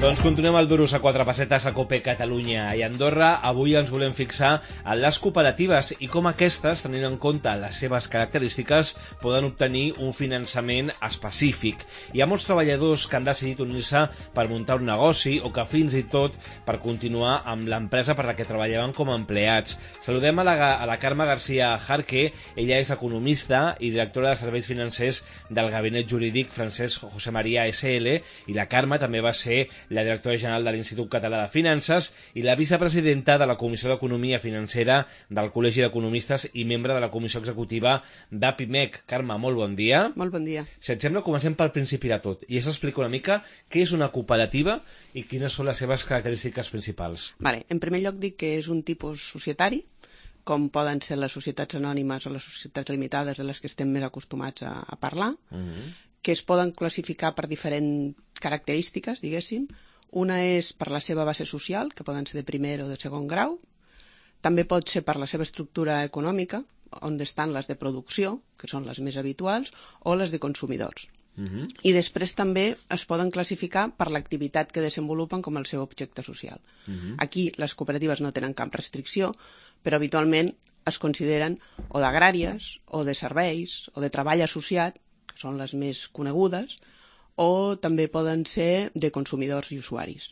Doncs continuem el Duros a 4 pessetes a Cope Catalunya i Andorra. Avui ens volem fixar en les cooperatives i com aquestes, tenint en compte les seves característiques, poden obtenir un finançament específic. Hi ha molts treballadors que han decidit unir-se per muntar un negoci o que fins i tot per continuar amb l'empresa per la que treballaven com a empleats. Saludem a la Carme García Jarque. Ella és economista i directora de serveis financers del Gabinet Jurídic Francesc José María SL, i la Carme també va ser la directora general de l'Institut Català de Finances i la vicepresidenta de la Comissió d'Economia Financera del Col·legi d'Economistes i membre de la Comissió Executiva d'APIMEC. Carme, molt bon dia. Molt bon dia. Si et sembla, comencem pel principi de tot i s'explica una mica què és una cooperativa i quines són les seves característiques principals. Vale. En primer lloc dic que és un tipus societari, com poden ser les societats anònimes o les societats limitades de les que estem més acostumats a parlar, que es poden classificar per diferents característiques, diguéssim. Una és per la seva base social, que poden ser de primer o de segon grau. També pot ser per la seva estructura econòmica, on estan les de producció, que són les més habituals, o les de consumidors. I després també es poden classificar per l'activitat que desenvolupen com el seu objecte social. Aquí les cooperatives no tenen cap restricció, però habitualment es consideren o d'agràries, o de serveis, o de treball associat, que són les més conegudes, o també poden ser de consumidors i usuaris.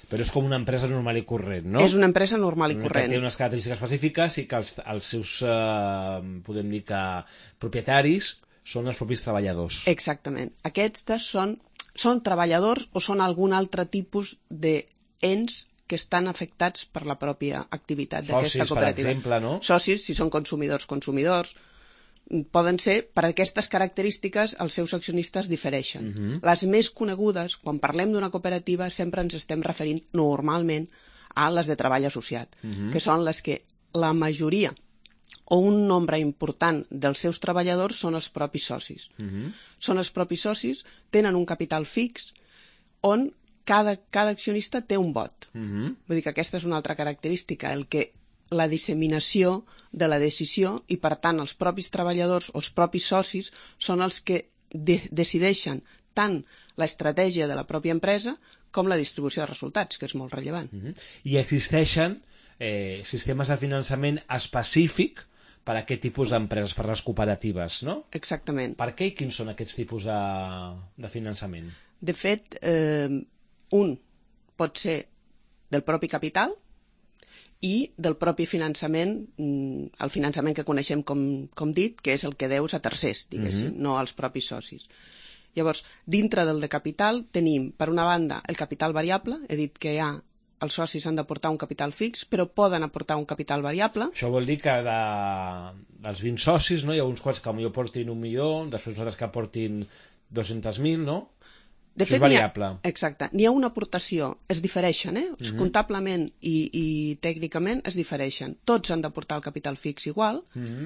Però és com una empresa normal i corrent, no? És una empresa normal i corrent. Que té unes característiques específiques i que els seus, podem dir que, propietaris són els propis treballadors. Exactament. Aquests són treballadors o són algun altre tipus d'ens que estan afectats per la pròpia activitat d'aquesta cooperativa. Socis, per exemple, no? Socis, si són consumidors, poden ser, per aquestes característiques, els seus accionistes difereixen. Les més conegudes, quan parlem d'una cooperativa, sempre ens estem referint normalment a les de treball associat, que són les que la majoria o un nombre important dels seus treballadors són els propis socis. Són els propis socis, tenen un capital fix, on cada accionista té un vot. Vull dir que aquesta és una altra característica, la disseminació de la decisió, i per tant els propis treballadors o els propis socis són els que decideixen tant l'estratègia de la pròpia empresa com la distribució de resultats, que és molt rellevant. I existeixen sistemes de finançament específic per a aquest tipus d'empreses, per les cooperatives, no? Exactament. Per què i quins són aquests tipus de finançament? De fet, un pot ser del propi capital i del propi finançament, el finançament que coneixem com dit, que és el que deus a tercers, diguéssim, no als propis socis. Llavors, dintre del de capital tenim, per una banda, el capital variable. He dit que els socis han d'aportar un capital fix, però poden aportar un capital variable. Això vol dir que dels 20 socis, no, hi ha uns quants que potser aportin 1 milió, després uns altres que aportin 200.000, no? De fet, és variable. Exacte. N'hi ha una aportació, es difereixen, comptablement i tècnicament es difereixen. Tots han d'aportar el capital fix igual,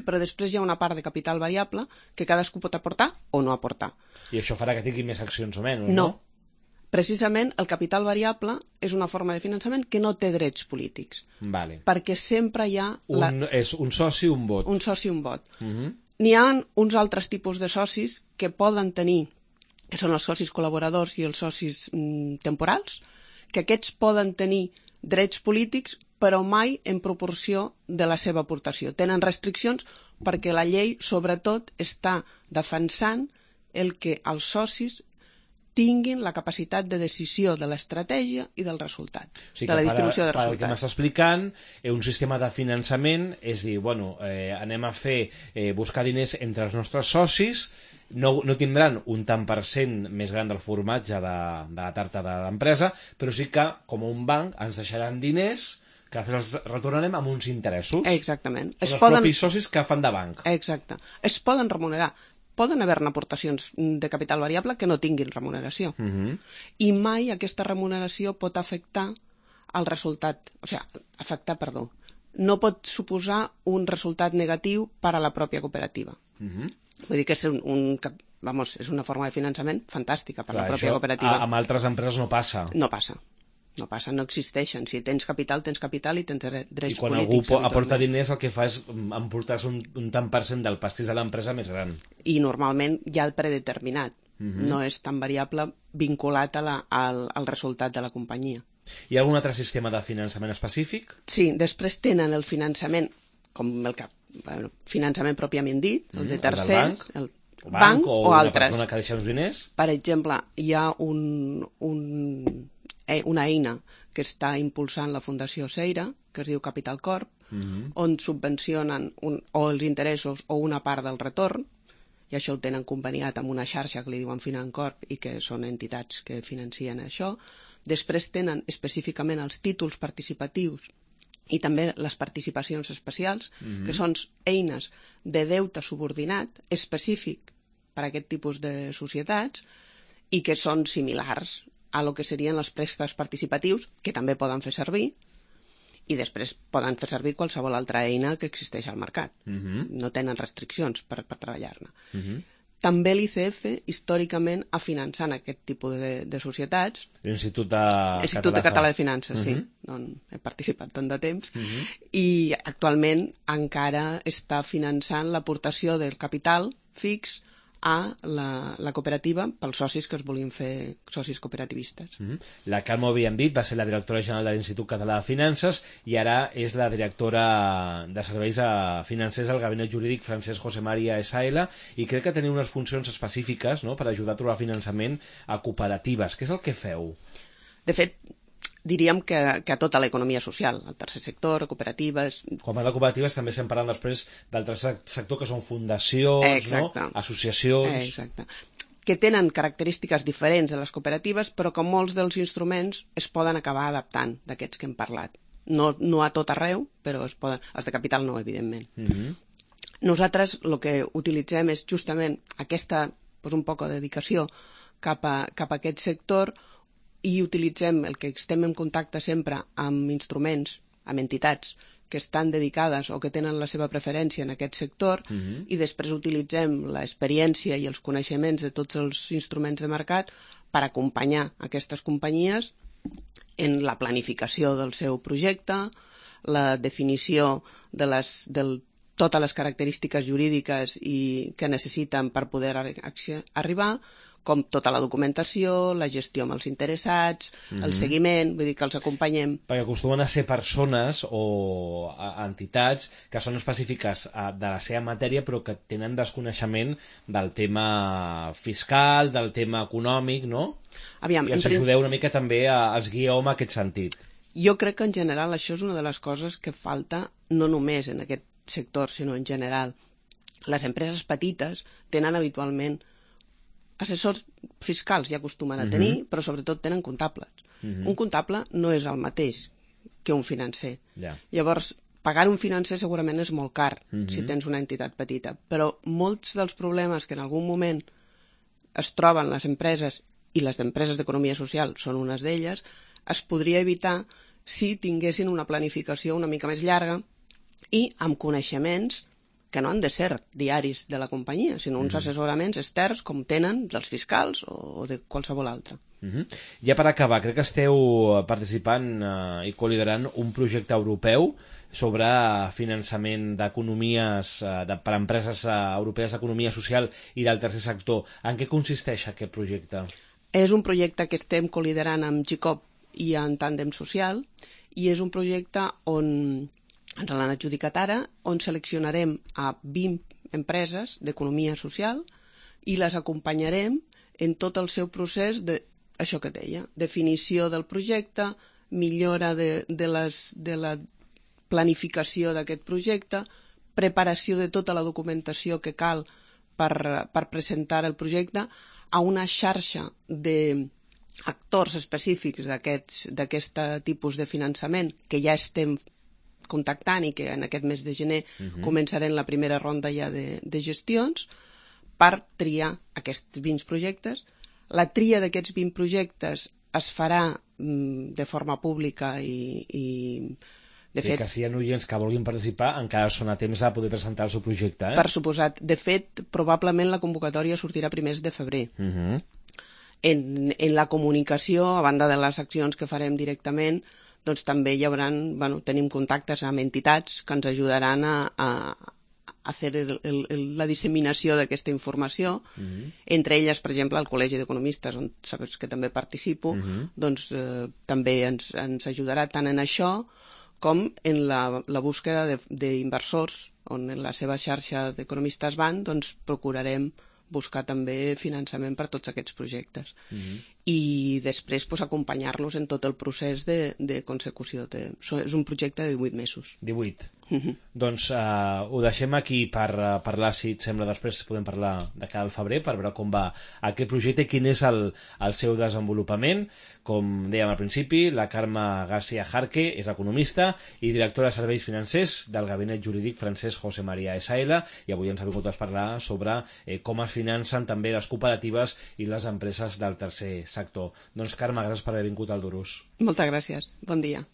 però després hi ha una part de capital variable que cadascú pot aportar o no aportar. I això farà que tingui més accions o menys, no? No. Precisament el capital variable és una forma de finançament que no té drets polítics. Vale. Perquè sempre hi ha... És un soci, un vot. Un soci, un vot. N'hi ha uns altres tipus de socis que poden tenir, que són els socis col·laboradors i els socis temporals, que aquests poden tenir drets polítics, però mai en proporció de la seva aportació. Tenen restriccions perquè la llei, sobretot, està defensant el que els socis tinguin la capacitat de decisió de l'estratègia i del resultat, de la distribució de resultats. El que m'està explicant, un sistema de finançament és dir, anem a buscar diners entre els nostres socis, no tindran un tant per cent més gran del formatge de la tarta de l'empresa, però sí que, com un banc, ens deixaran diners que després els retornarem amb uns interessos. Exactament. Són els propis socis que fan de banc. Exacte. Es poden remunerar. Poden haver-ne aportacions de capital variable que no tinguin remuneració. I mai aquesta remuneració pot afectar el resultat. No pot suposar un resultat negatiu per a la pròpia cooperativa. Vull dir que és una forma de finançament fantàstica per a la pròpia cooperativa. Amb altres empreses no passa. No passa. No existeixen. Si tens capital i tens drets polítics. I quan algú aporta diners, el que fa és emportar-se un tant per cent del pastís de l'empresa més gran. I normalment ja predeterminat. no és tan variable vinculat al resultat de la companyia. Hi ha algun altre sistema de finançament específic? Sí, després tenen el finançament, com finançament pròpiament dit, el de tercers, el banc o altres. Una persona que deixa uns diners? Per exemple, hi ha una eina que està impulsant la Fundació Seira, que es diu Capital Corp, on subvencionen o els interessos o una part del retorn, i això ho tenen conveniat amb una xarxa que li diuen Financorp i que són entitats que financien això. Després tenen específicament els títols participatius i també les participacions especials, que són eines de deute subordinat específic per a aquest tipus de societats i que són similars a lo que serien els préstecs participatius, que també poden fer servir, i després poden fer servir qualsevol altra eina que existeix al mercat. No tenen restriccions per treballar-ne. També l'ICF, històricament, ha finançat aquest tipus de societats. L'Institut Català de Finances, sí. He participat tant de temps. I actualment encara està finançant l'aportació del capital fix a la cooperativa pels socis que es volien fer socis cooperativistes. La Carme Bienvit va ser la directora general de l'Institut Català de Finances i ara és la directora de serveis financers al Gabinet Jurídic Francesc José María S.A.L. i crec que teniu unes funcions específiques, no?, per ajudar a trobar finançament a cooperatives. Què és el que feu? De fet, diríem que a tota l'economia social, al tercer sector, cooperatives... Com a de cooperatives també estem parlant després del tercer sector, que són fundacions, no? Associacions... Exacte. Que tenen característiques diferents de les cooperatives, però que molts dels instruments es poden acabar adaptant d'aquests que hem parlat. No a tot arreu, però es poden... Els de capital no, evidentment. Nosaltres el que utilitzem és justament aquesta, un poc de dedicació cap a aquest sector, i utilitzem el que estem en contacte sempre amb instruments, amb entitats que estan dedicades o que tenen la seva preferència en aquest sector, i després utilitzem l'experiència i els coneixements de tots els instruments de mercat per acompanyar aquestes companyies en la planificació del seu projecte, la definició de totes les característiques jurídiques que necessiten per poder arribar, com tota la documentació, la gestió amb els interessats, el seguiment, vull dir que els acompanyem. Perquè acostumen a ser persones o entitats que són específiques de la seva matèria però que tenen desconeixement del tema fiscal, del tema econòmic, no? Aviam, i ens ajudeu una mica també, els guieu en aquest sentit. Jo crec que en general això és una de les coses que falta no només en aquest sector, sinó en general. Les empreses petites tenen habitualment assessors fiscals, ja acostumen a tenir, però sobretot tenen comptables. Un comptable no és el mateix que un financer. Llavors, pagar un financer segurament és molt car si tens una entitat petita, però molts dels problemes que en algun moment es troben les empreses, i les empreses d'economia social són unes d'elles, es podria evitar si tinguessin una planificació una mica més llarga i amb coneixements que no han de ser diaris de la companyia, sinó uns assessoraments externs com tenen dels fiscals o de qualsevol altre. Ja per acabar, crec que esteu participant i coliderant un projecte europeu sobre finançament d'economies per a empreses europees d'economia social i del tercer sector. En què consisteix aquest projecte? És un projecte que estem coliderant amb GICOP i en Tàndem Social, i és un projecte on ens l'han adjudicat ara, on seleccionarem a 20 empreses d'economia social i les acompanyarem en tot el seu procés això que deia, definició del projecte, millora de la planificació d'aquest projecte, preparació de tota la documentació que cal per presentar el projecte a una xarxa d'actors específics d'aquest tipus de finançament que ja estem contactant i que en aquest mes de gener començarem la primera ronda ja de gestions per triar aquests 20 projectes. La tria d'aquests 20 projectes es farà de forma pública i de fet... que si hi ha oients que vulguin participar encara són a temps a poder presentar el seu projecte. Per suposat. De fet, probablement la convocatòria sortirà a primers de febrer. En la comunicació, a banda de les accions que farem directament, doncs també hi haurà, tenim contactes amb entitats que ens ajudaran a a fer la disseminació d'aquesta informació. Entre elles, per exemple, el Col·legi d'Economistes, on saps que també participo, doncs també ens ajudarà tant en això com en la búsqueda d'inversors, on en la seva xarxa d'economistes van, doncs procurarem buscar també finançament per tots aquests projectes. I després acompanyar-los en tot el procés de consecució. És un projecte de 18 mesos. 18. Doncs ho deixem aquí per parlar, si et sembla, després podem parlar de cara al febrer per veure com va aquest projecte i quin és el seu desenvolupament. Com dèiem al principi, la Carme García Jarque és economista i directora de serveis financers del gabinet jurídic francès José María SL, i avui ens ha vingut a parlar sobre com es financen també les cooperatives i les empreses del tercer sector. Doncs Carme, gràcies per haver vingut al Durús. Moltes gràcies. Bon dia.